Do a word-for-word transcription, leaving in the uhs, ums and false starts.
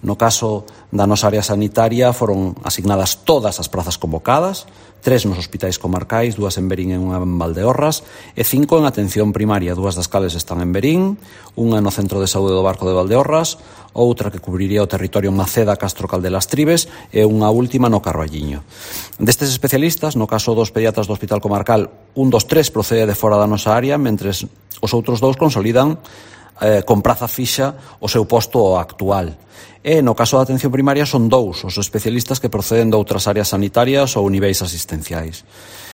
No caso da nosa área sanitaria foron asignadas todas as prazas convocadas, tres nos hospitais comarcais, dúas en Verín e unha en Valdeorras, e cinco en atención primaria, dúas das cales están en Verín, unha no Centro de Saúde do Barco de Valdeorras, outra que cubriría o territorio Maceda, Castro Caldelas Tribes e unha última no Carballiño. Destes especialistas, no caso dos pediatras do Hospital Comarcal, un dos tres procede de fora da nosa área, mentres os outros dous consolidan eh, con praza fixa o seu posto actual. E no caso da atención primaria son dous os especialistas que proceden de outras áreas sanitarias ou niveis asistenciais.